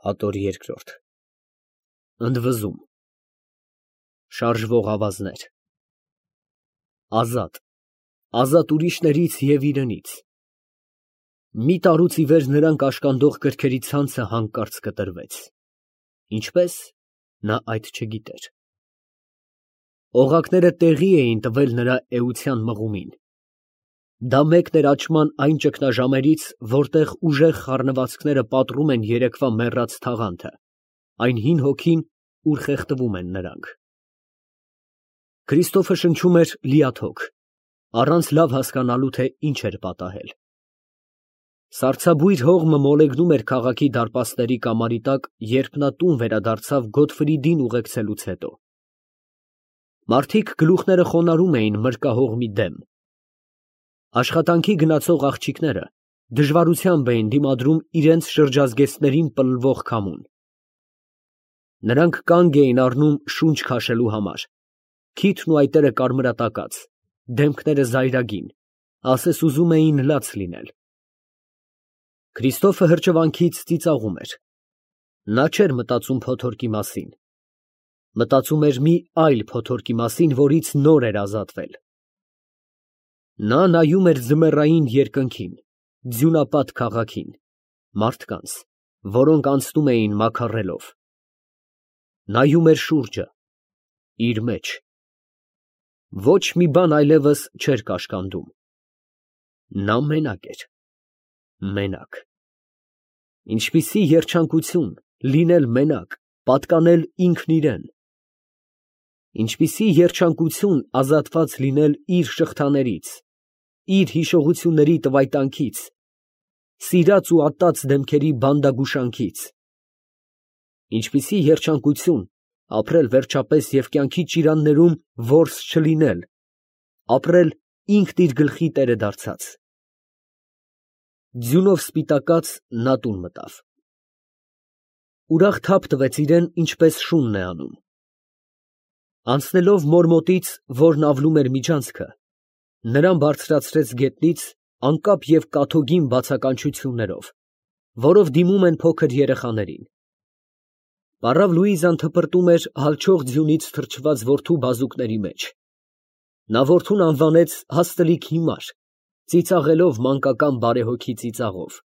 Հատոր երկրորդ Ընդվզում Շարժվող ավազներ Ազատ ուրիշներից և իրենից Մի տարուց ի վեր նրան կաշկանդող կրքերի ցանցը հանկարծ կտրվեց, ինչպես նա այդ չգիտեր։ Օղակները տեղի էին տվել նրա էության մղումին։ Դա մեկն էր աճման այն ճգնաժամերից, որտեղ ուժեղ խառնվածքները պատռում են երեկվա մեռած թաղանթը, այն հին հոգին, ուր խեղդվում են նրանք։ Քրիստոֆը շնչում էր լիաթոք, առանց լավ հասկանալու, թե ինչ էր պատահել։ Սառցաբույր հողմը մոլեգնում էր քաղաքի դարպասների կամարի տակ, երբ նա տուն վերադարձավ Գոթֆրիդին ուղեկցելուց հետո։ Մարդիկ գլուխները խոնարհում էին մրրկահողմի դեմ։ Աշխատանքի գնացող աղջիկները դժվարությամբ էին դիմադրում իրենց շրջազգեստներին պլվող քամուն։ Նրանք կանգ էին առնում շունչ քաշելու համար, քիթն ու այտերը կարմրատակած, դեմքները զայրագին, ասես ուզում էին լաց լինել։ Քրիստոֆը հրճվանքից ծիծաղում էր։ Նա չէր մտածում փոթորկի մասին։ Մտածում էր մի այլ փոթորկի մասին, որից նոր էր ազատվել։ Նա նայում էր ձմեռային երկնքին, ձյունապատ քաղաքին, մարդկանց, որոնք անցնում էին մաքարելով։ Նայում էր շուրջը, իր մեջ։ Ոչ մի բան այլևս չէր կաշկանդում։ Նա մենակ էր, մենակ։ Ինչպիսի երջանկություն լինել մենակ, պատկանել ինքն իրան։ Ինչպիսի երջանկություն ազատված լինել իր շղթաներից, իր հիշողությունների տվայտանքից, սիրած ու ատած դեմքերի բանդագուշանքից։ Ինչպիսի երջանկություն ապրել վերջապես և կյանքի ճիրաններում որս չլինել, ապրել ինքն իր գլխի տերը դարձած։ Ձյունով սպիտակած նա տուն մտավ։ Ուրախ թափ տվեց իրան, ինչպես շունն է անում։ Անցնելով մոր մոտից, որն ավլում էր միջանցքը, նրան բարձրացրեց գետնից անկապ և կաթոգին բացականչություններով, որով դիմում են փոքր երեխաներին։ Պառավ Լուիզան թպրտում էր հալչող ձյունից թրջված որդու բազուկների մեջ։ Նա որդուն անվանեց հաստլիկ հիմար, ծիծաղելով մանկական բարեհոգի ծիծաղով։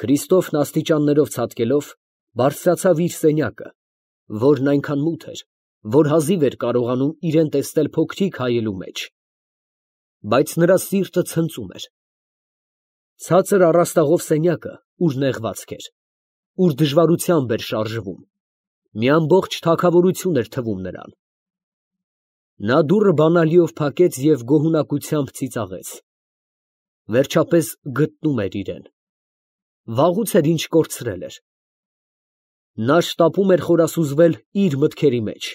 Քրիստոֆն աստիճաններով ցատկելով բարձրացավ իր սենյակը, որն այնքան մութ էր, որ հազիվ էր կարողանում իրան տեսնել փոքրիկ հայելու մեջ։ Բայց նրա սիրտը ցնծում էր։ Ցածր առաստաղով սենյակը, ուր նեղվածք էր, ուր դժվարությամբ էր շարժվում, մի ամբողջ թագավորություն էր թվում նրան։ Նա դուռը բանալիով փակեց և գոհունակությամբ ծիծաղեց։ Վերջապես գտնում էր իրան։ Վաղուց էր ինչ կորցրել էր։ Նա շտապում էր խորասուզվել իր մտքերի մեջ։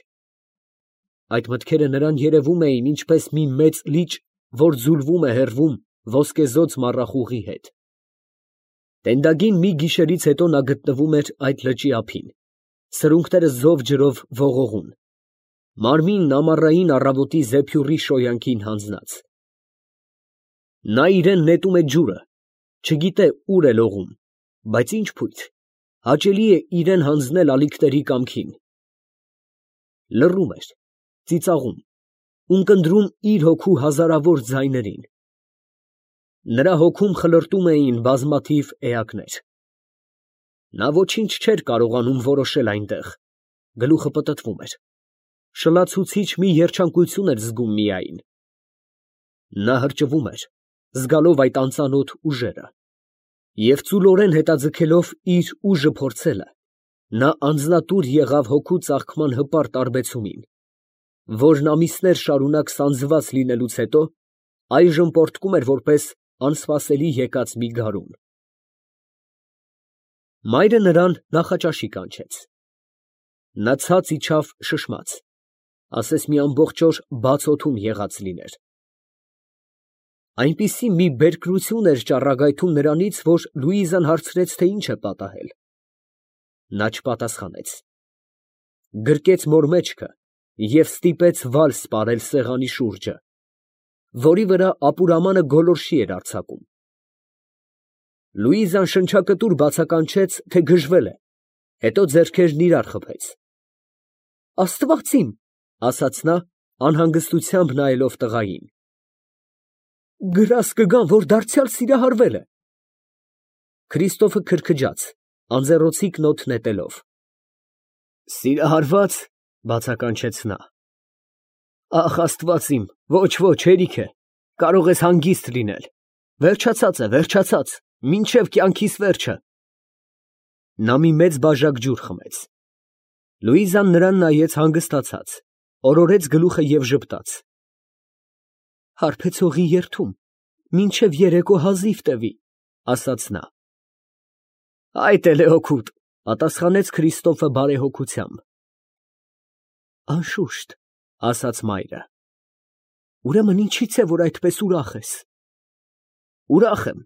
Այդ մտքերը նրան երևում էին ինչպես մի մեծ լիճ, որ ձուլվում է հեռվում ոսկեզօծ մառախուղի հետ։ Տենդագին մի գիշերից հետո նա գտնվում էր այդ լճի ափին, սրունքները զով ջրով ողողուն, մարմինն ամառային առավոտի զեփյուռի շոյանքին հանձնած։ Նա իրան նետում է ջուրը, չգիտե ուր է լողում, բայց ինչ փույթ, հաճելի է իրան հանձնել ալիքների կամքին։ Լռում էր, ծիծաղում, ունկնդրում իր հոգու հազարավոր ձայներին։ Նրա հոգում խլրտում էին բազմաթիվ էակներ։ Նա ոչինչ չէր կարողանում որոշել այնտեղ, գլուխը պտտվում էր, շլացուցիչ մի երջանկություն էր զգում միայն։ Նա հրճվում էր, զգալով այդ անծանոթ ուժերը, և ծուլորեն հետաձգելով իր ուժը փորձելը, նա անձնատուր եղավ հոգու ծաղկման հպարտ տարբեցումին, որն ամիսներ շարունակ սանձված լինելուց հետո այժմ պոռթկում էր որպես անսպասելի եկած մի գարուն։ Մայրը նրան նախաճաշի կանչեց։ Նա ցած իջավ շշմած, ասես մի ամբողջ օր բաց օդում եղած լիներ։ Այնպիսի մի բերկրություն էր ճառագայթում նրանից, որ Լուիզան հարցրեց, թե ինչ է պատահել։ Նա չպատասխանեց։ Գրկեց մոր մեջքը և ստիպեց վալս պարել սեղանի շուրջը, որի վրա ապուրամանը գոլորշի էր արձակում։ Լուիզան շնչակտուր բացականչեց, թե գժվել է, հետո ձեռքերն իրար խփեց։ Աստված իմ, ասաց նա, անհանգստությամբ նայելով տղային։ Գրաս կգան, որ դարձյալ սիրահարվել է։ Քրիստոֆը քրքջաց, անձեռոցիկ նոթ նետելով։ Սիրահարված, բացականչեց նա։ Ախ, Աստված իմ, ոչ, հերիք է, կարող ես հանգիստ լինել։ Վերջացած է, վերջացած, մինչև կյանքիս վերջը։ Նա մի մեծ բաժակ ջուր խմեց։ Լուիզան նրան նայեց հանգստացած, օրորեց գլուխը և ժպտաց։ Հարբեցողի երդում, մինչև երեկո հազիվ տևի, ասաց նա։ Այդ էլ է օգուտ, պատասխանեց Քրիստոֆը բարեհոգությամբ։ Անշուշտ, ասաց մայրը։ Ուրեմն ինչի՞ց է, որ այդպես ուրախ ես։ Ուրախ եմ,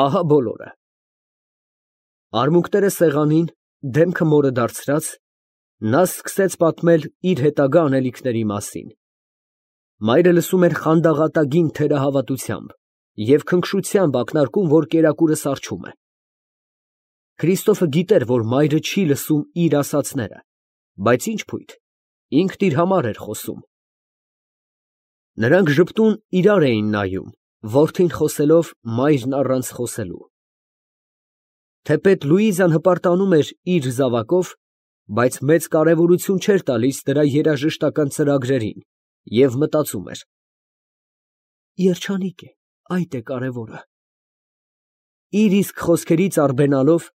ահա բոլորը։ Արմունկները սեղանին, դեմքը մորը դարձրած, նա սկսեց պատմել իր հետագա անելիքների մասին։ Մայրը լսում էր խանդաղատագին թերահավատությամբ և քնքշությամբ ակնարկում, որ կերակուրը սառչում է։ Քրիստոֆը գիտեր, որ մայրը չի լսում իր ասածները, բայց ինչ փույթ, ինքն իր համար էր խոսում։ Նրանք ժպտուն իրար էին նայում, որդին խոսելով, մայրն առանց խոսելու։ Թեպետ Լուիզան հպարտանում էր իր զավակով, բայց մեծ կարևորություն չէր տալիս դրա երաժշտական ծրագրերին և մտածում էր. Երջանիկ է, այդ է կարևորը։ Իր իսկ խոսքերից արբենալով,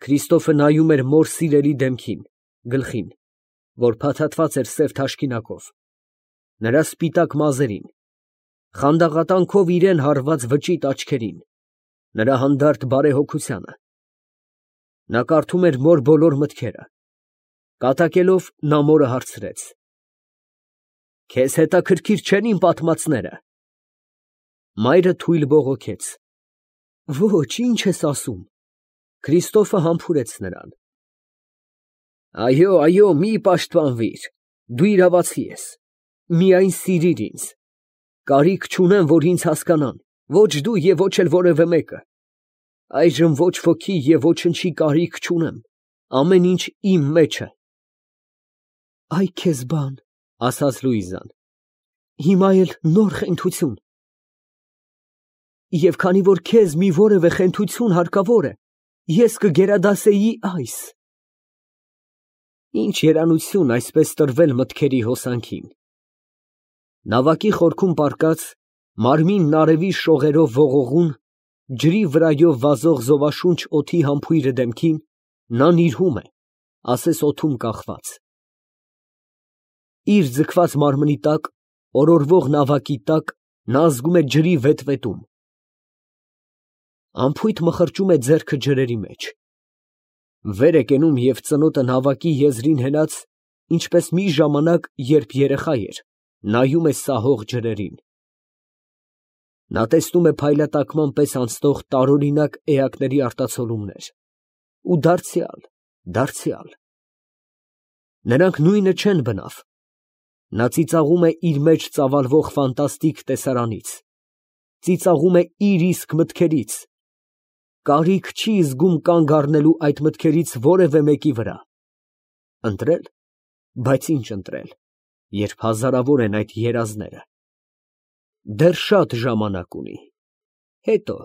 Քրիստոֆը նայում էր մոր սիրելի դեմքին, գլխին, որ փաթաթված էր սև թաշկինակով, նրա սպիտակ մազերին, խանդաղատանքով իրան հարված վճիտ աչքերին, նրա հանդարտ բարեհոգությանը։ Նա կարդում էր մոր բոլոր մտքերը։ Կատակելով, նա մորը հարցրեց. Քեզ հետաքրքիր չեն իմ պատմածները։ Մայրը թույլ բողոքեց. Ոչ, ինչ ես ասում։ Քրիստոֆը համբուրեց նրան։ Այո, մի պաշտպանվիր, դու իրավացի ես, միայն սիրիր ինձ, կարիք չունեմ, որ ինձ հասկանան, ոչ դու և ոչ էլ որևէ մեկը, այժմ ոչ ոքի և ոչնչի կարիք չունեմ, ամեն ինչ իմ մեջ է։ Այ քեզ բան, ասաց Լուիզան, հիմա էլ նոր խենթություն։ Եվ քանի որ քեզ մի որևէ խենթություն հարկավոր է, ես կգերադասեի այս։ Ինչ երանություն այսպես տրվել մտքերի հոսանքին։ Նավակի խորքում պառկած, մարմինն արևի շողերով ողողուն, ջրի վրայով վազող զովաշունչ օդի համբույրը դեմքին, նա նիրհում է, ասես օդում կախված։ Իր ձգված մարմնի տակ, օրորվող նավակի տակ, նա զգում է ջրի վետվետում։ Անփույթ մխրճում է ձեռքը ջրերի մեջ։ Վեր է կենում և ծնոտը նավակի եզրին հենած, ինչպես մի ժամանակ, երբ երեխա էր, նայում է սահող ջրերին։ Նա տեսնում է փայլատակման պես անցնող տարօրինակ էակների արտացոլումներ, ու դարձյալ։ Նրանք նույնը չեն բնավ։ Նա ծիծաղում է իր մեջ ծավալվող ֆանտաստիկ տեսարանից, ծիծաղում է իր իսկ մտքերից, կարիք չի զգում կանգ առնելու այդ մտքերից որևէ մեկի վրա։ Ընտրել, բայց ինչ ընտրել, երբ հազարավոր են այդ երազները։ Դեռ շատ ժամանակ ունի, հետո։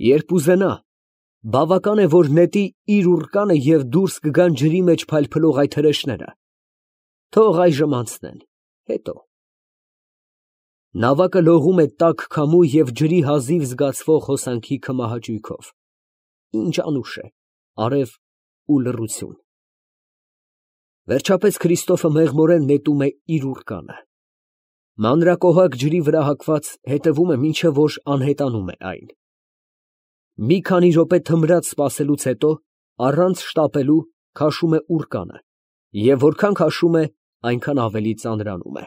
Երբ ուզենա, բավական է, որ նետի իր ուռկանը և դուրս կգան ջրի մեջ փայլփլող այդ հրեշները։ Թող այժմ անցնեն, հետո։ Նավակը լողում է տաք քամու և ջրի հազիվ զգացվող հոսանքի քմահաճույքով։ Ինչ անուշ է, արև ու լռություն։ Վերջապես Քրիստոֆը մեղմորեն նետում է իր ուռկանը։ Մանրակոհակ ջրի վրա հագված հետևում է, մինչև որ անհետանում է այն։ Մի քանի րոպե թմրած սպասելուց հետո, առանց շտապելու, քաշում է ուռկանը, և որքան քաշում է, այնքան ավելի ծանրանում է։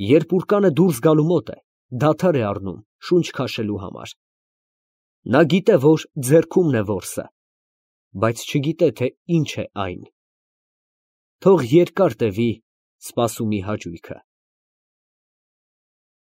Երբ ուռկանը դուրս գալու մոտ է, դադար է առնում շունչ քաշելու համար։ Նա գիտե, որ ձեռքումն է որսը, բայց չգիտե, թե ինչ է այն։ Թող երկար տևի սպասումի հաճույքը։